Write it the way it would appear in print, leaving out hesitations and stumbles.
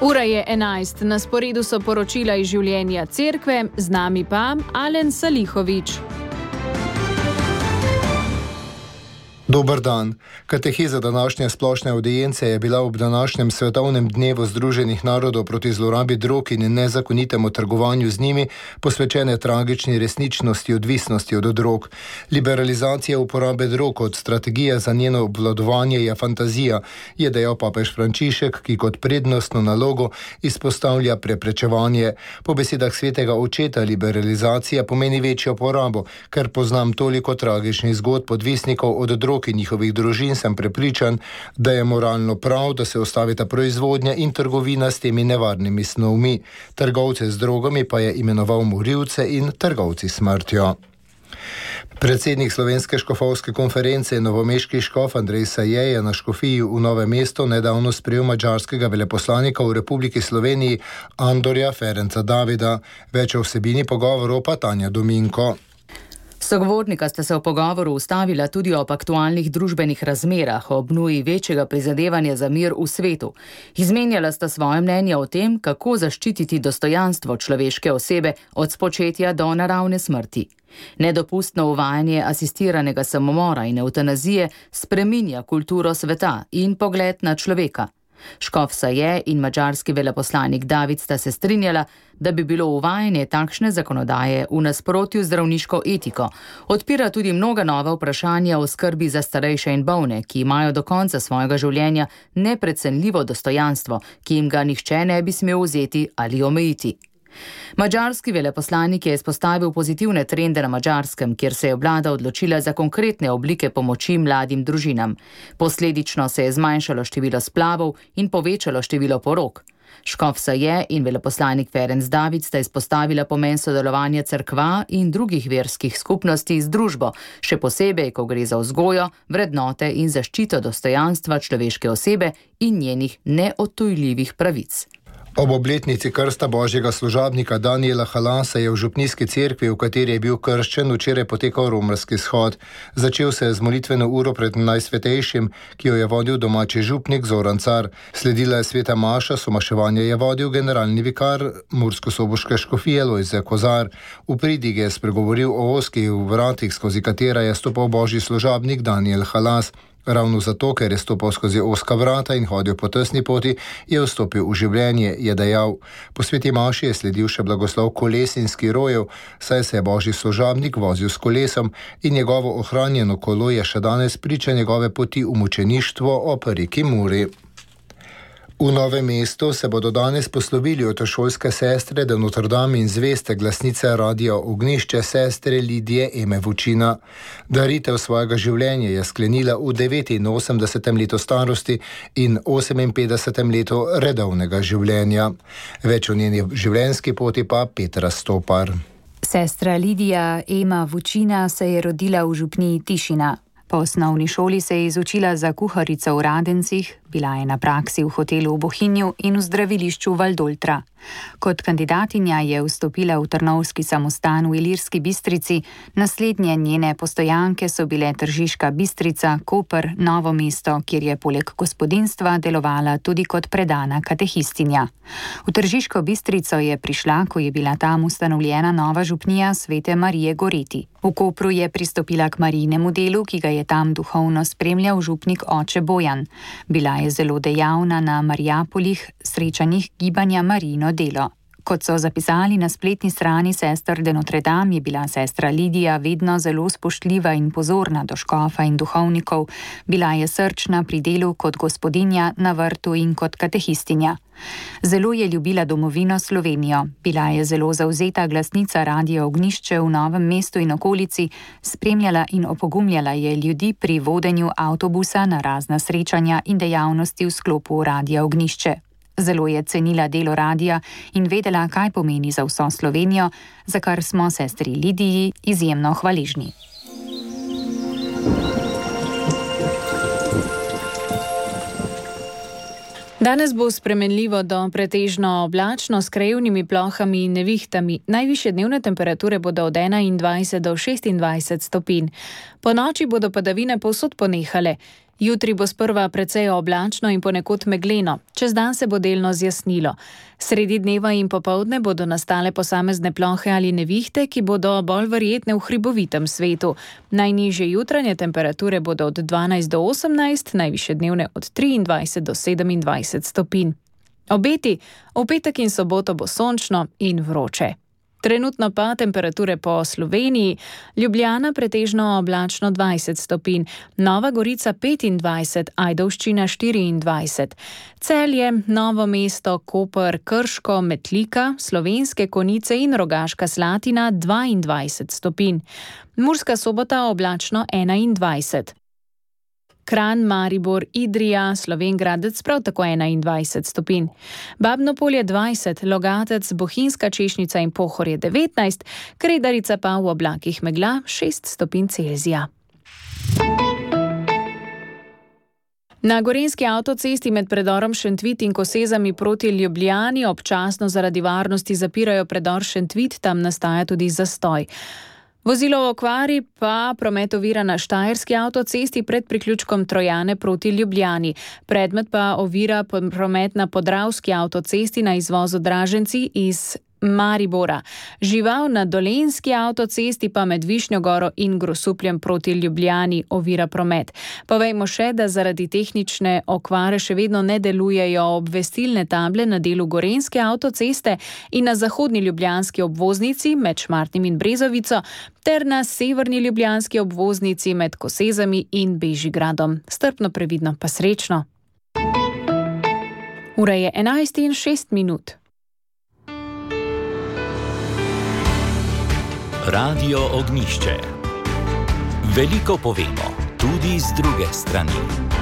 Ura je 11, na sporedu so poročila iz življenja cerkve, z nami pa Alen Salihović. Dober dan. Kateheza današnje splošne avdience je bila ob današnjem svetovnem dnevu Združenih narodov proti zlorabi drog in nezakonitemu trgovanju z njimi posvečene tragični resničnosti odvisnosti od drog. Liberalizacija uporabe drog kot strategija za njeno obvladovanje je fantazija, je dejal papež Frančišek, ki kot prednostno nalogo izpostavlja preprečevanje. Po besedah svetega očeta liberalizacija pomeni večjo porabo, ker poznam toliko tragičnih zgodb odvisnikov od drog in njihovih družin, sem prepričan, da je moralno prav, da se ustavita proizvodnja in trgovina s temi nevarnimi snovmi. Trgovce z drogami pa je imenoval morilce in trgovci smrtjo. Predsednik Slovenske škofovske konference novomeški škof Andrej Saje je na škofiji v Novem mestu nedavno sprejel madžarskega veleposlanika v Republiki Sloveniji Andorja Ferenca Davida. Več o vsebini pogovorov pa Tanja Dominko. Sogovornika sta se v pogovoru ustavila tudi ob aktualnih družbenih razmerah, ob nuji večjega prizadevanja za mir v svetu. Izmenjala sta svoje mnenje o tem, kako zaščititi dostojanstvo človeške osebe od spočetja do naravne smrti. Nedopustno uvajanje asistiranega samomora in evtanazije spreminja kulturo sveta in pogled na človeka. Škof Saje in madžarski veleposlanik David sta se strinjala, da bi bilo uvajanje takšne zakonodaje v nasprotju z zdravniško etiko. Odpira tudi mnoga nova vprašanja o skrbi za starejše in bolne, ki imajo do konca svojega življenja neprecenljivo dostojanstvo, ki jim ga nihče ne bi smel vzeti ali omejiti. Madžarski veleposlanik je izpostavil pozitivne trende na Madžarskem, kjer se je vlada odločila za konkretne oblike pomoči mladim družinam. Posledično se je zmanjšalo število splavov in povečalo število porok. Škof Saje in veleposlanik Ferenc David sta izpostavila pomen sodelovanja cerkva in drugih verskih skupnosti z družbo, še posebej, ko gre za vzgojo, vrednote in zaščito dostojanstva človeške osebe in njenih neodtujljivih pravic. Ob obletnici krsta božjega služabnika Daniela Halasa je v župnijski cerkvi, v kateri je bil krščen, včeraj potekal romarski shod. Začel se je z molitveno uro pred Najsvetejšim, ki jo je vodil domači župnik Zoran Car. Sledila je sveta maša, somaševanje je vodil generalni vikar murskosoboške škofije Lojze Kozar. V pridigi je spregovoril o ozkih vratih, skozi katera je stopal božji služabnik Daniel Halas. Ravno zato, ker je stopal skozi ozka vrata in hodil po tesni poti, je vstopil v življenje, je dejal. Po sveti maši je sledil še blagoslov koles in skirojev, saj se je božji služabnik vozil s kolesom in njegovo ohranjeno kolo je še danes priča njegove poti v mučeništvo ob reki Muri. V Novem mestu se bodo danes poslovili otrošolske sestre de Notre Dame in zveste glasnice Radia Ognjišče sestre Lidije Eme Vučina. Daritev svojega življenja je sklenila v 89. letu starosti in 58. letu redovnega življenja. Več o njeni življenjski poti pa Petra Stopar. Sestra Lidija Ema Vučina se je rodila v župniji Tišina. Po osnovni šoli se je izučila za kuharico v Radencih, bila je na praksi v hotelu v Bohinju in v zdravilišču Valdoltra. Kot kandidatinja je vstopila v trnovski samostan v Ilirski Bistrici, naslednje njene postojanke so bile Tržiška Bistrica, Koper, Novo mesto, kjer je poleg gospodinjstva delovala tudi kot predana katehistinja. V Tržiško Bistrico je prišla, ko je bila tam ustanovljena nova župnija Svete Marije Goreti. V Kopru je pristopila k Marijinemu delu, ki ga je tam duhovno spremljal župnik oče Bojan. Bila je zelo dejavna na Marijapolih, srečanjih gibanja Marijino delo. Kot so zapisali na spletni strani sester de Notre Dame, je bila sestra Lidija vedno zelo spoštljiva in pozorna do škofa in duhovnikov. Bila je srčna pri delu kot gospodinja na vrtu in kot katehistinja. Zelo je ljubila domovino Slovenijo. Bila je zelo zavzeta glasnica Radia Ognjišče v Novem mestu in okolici, spremljala in opogumljala je ljudi pri vodenju avtobusa na razna srečanja in dejavnosti v sklopu Radia Ognjišče. Zelo je cenila delo radia in vedela, kaj pomeni za vso Slovenijo, za kar smo sestri Lidiji izjemno hvaležni. Danes bo spremenljivo do pretežno oblačno s krajevnimi plohami in nevihtami. Najvišje dnevne temperature bodo od 21 do 26 stopinj. Po noči bodo padavine povsod ponehale. Jutri bo sprva precej oblačno in ponekod megleno, čez dan se bo delno zjasnilo. Sredi dneva in popoldne bodo nastale posamezne plohe ali nevihte, ki bodo bolj verjetne v hribovitem svetu. Najnižje jutranje temperature bodo od 12 do 18, najvišje dnevne od 23 do 27 stopinj. Obeti: v petek in soboto bo sončno in vroče. Trenutno pa temperature po Sloveniji: Ljubljana pretežno oblačno 20 stopinj, Nova Gorica 25, Ajdovščina 24, Celje, Novo mesto, Koper, Krško, Metlika, Slovenske Konjice in Rogaška Slatina 22 stopinj, Murska Sobota oblačno 21. Kranj, Maribor, Idrija, Slovenj Gradec prav tako 21 stopinj. Babno Polje 20, Logatec, Bohinjska Češnjica in Pohorje 19, Kredarica pa v oblakih megla 6 stopinj Celzija. Na gorenjski avtocesti med predorom Šentvit in Kosezami proti Ljubljani občasno zaradi varnosti zapirajo predor Šentvit, tam nastaja tudi zastoj. Vozilo v okvari pa promet ovira na štajerski avtocesti pred priključkom Trojane proti Ljubljani. Predmet pa ovira promet na podravski avtocesti na izvozu Draženci iz Maribora. Žival na dolenjski avtocesti pa med Višnjo Goro in Grosupljem proti Ljubljani ovira promet. Povejmo še, da zaradi tehnične okvare še vedno ne delujejo obvestilne table na delu gorenjske avtoceste in na zahodni ljubljanski obvoznici med Šmartnim in Brezovico ter na severni ljubljanski obvoznici med Kosezami in Bežigradom. Strpno, previdno pa srečno. Ura je 11:06. Radio Ognjišče. Veliko povemo, tudi z druge strani.